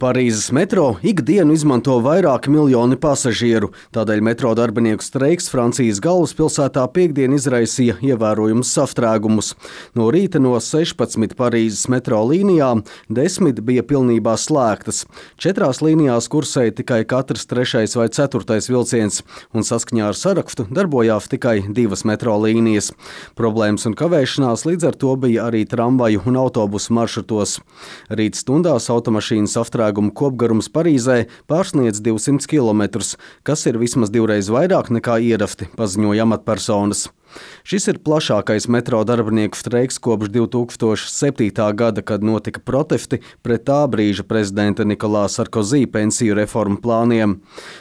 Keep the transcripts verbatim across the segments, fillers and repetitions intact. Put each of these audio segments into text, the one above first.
Parīzes metro ikdienu izmanto vairāki miljoni pasažieru, tādēļ metro darbinieku streiks Francijas galvaspilsētā piektdien izraisīja ievērojumus sastrēgumus. No rīta no sešpadsmit Parīzes metro līnijām desmit bija pilnībā slēgtas. Četrās līnijās kursēja tikai katrs trešais vai ceturtais vilciens, un saskaņā ar sarakstu darbojās tikai divas metro līnijas. Problēmas un kavēšanās līdz ar to bija arī tramvaju un autobusu maršrutos. Rīt stundās automašīnas sastrēgums kopgarums Parīzē pārsniedz divsimt kilometrus, kas ir vismaz divreiz vairāk nekā ierasti, paziņoja amatpersonas. Šis ir plašākais metro darbinieku streiks kopš divi tūkstoši septītā gada, kad notika protesti pret tā brīža prezidenta Nikolā Sarkozī pensiju reformu plāniem.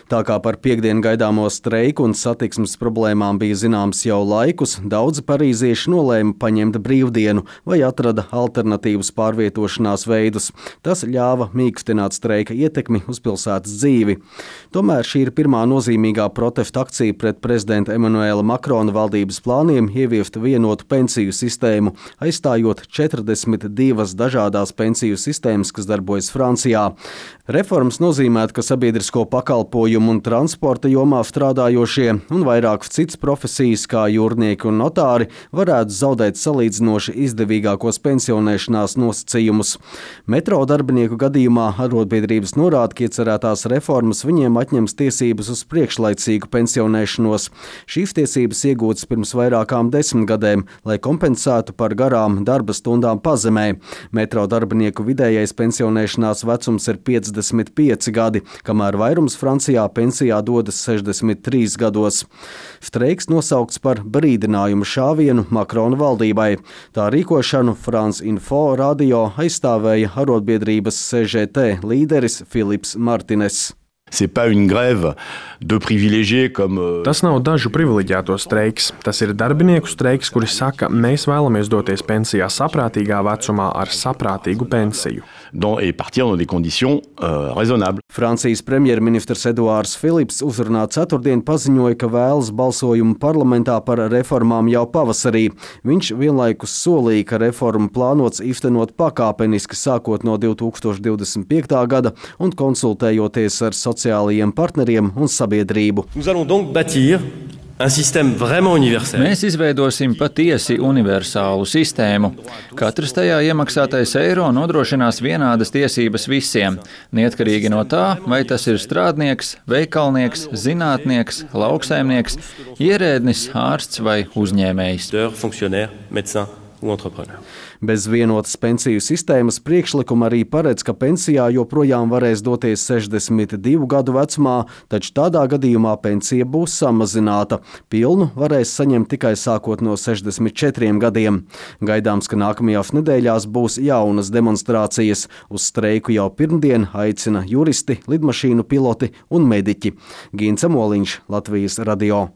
Tā kā par piektdienu gaidāmo streiku un satiksmes problēmām bija zināms jau laikus, daudzi parīzieši nolēma paņemt brīvdienu vai atrada alternatīvas pārvietošanās veidus. Tas ļāva mīkstināt streika ietekmi uz pilsētas dzīvi. Tomēr šī ir pirmā nozīmīgā protesta akcija pret prezidenta Emanuela Makrona valdības plāniem ieviest vienotu pensiju sistēmu, aizstājot četrdesmit divas dažādās pensiju sistēmas, kas darbojas Francijā. Reformas nozīmētu, ka sabiedrisko pakalpojumu un transporta jomā strādājošie un vairākas citas profesijas, kā jūrnieki un notāri, varētu zaudēt salīdzinoši izdevīgākos pensionēšanās nosacījumus. Metro darbinieku gadījumā arotbiedrības norāda, ka iecerētās reformas viņiem atņems tiesības uz priekšlaicīgu pensionēšanos. Šīs tiesības iegūtas pirms vairākām desmitgadēm, lai kompensētu par garām darba stundām pazemē. Metro darbinieku vidējais pensionēšanās vecums ir piecdesmit pieci gadi, kamēr vairums Francijā pensijā dodas sešdesmit trīs gados. Streiks nosaukts par brīdinājumu šāvienu Makrona valdībai. Tā rīkošanu France Info radio aizstāvēja arotbiedrības C G T līderis Filips Martines. C'est pas une grève de privilégiés comme Tas nav dažu privileģēto streiks. Tas ir darbinieku streiks, kuri saka, mēs vēlamies doties pensijā saprātīgā vecumā ar saprātīgu pensiju. Dans, et partir dans des conditions euh, raisonnables. Francijas premjerministrs Eduards Filips uzrunā ceturtdien paziņoja, ka vēlas balsojumu parlamentā par reformām jau pavasarī. Viņš vienlaikus solīja, ka reformu plānots īstenot pakāpeniski sākot no divi tūkstoši divdesmit piektā gada un konsultējoties ar sociālajiem partneriem un sabiedrību. Nous allons donc bâtir un système vraiment universel. Mēs izveidosim patiesi universālu sistēmu. Katrs tajā iemaksātais eiro nodrošinās vienādas tiesības visiem, neatkarīgi no tā, vai tas ir strādnieks, veikalnieks, zinātnieks, lauksaimnieks, ierēdnis, ārsts vai uzņēmējs. Bez vienotas pensiju sistēmas priekšlikuma arī paredz, ka pensijā joprojām varēs doties sešdesmit divu gadu vecumā, taču tādā gadījumā pensija būs samazināta. Pilnu varēs saņemt tikai sākot no sešdesmit četriem gadiem. Gaidāms, ka nākamajās nedēļās būs jaunas demonstrācijas. Uz streiku jau pirmdien aicina juristi, lidmašīnu piloti un mediķi. Gints Amoliņš, Latvijas radio.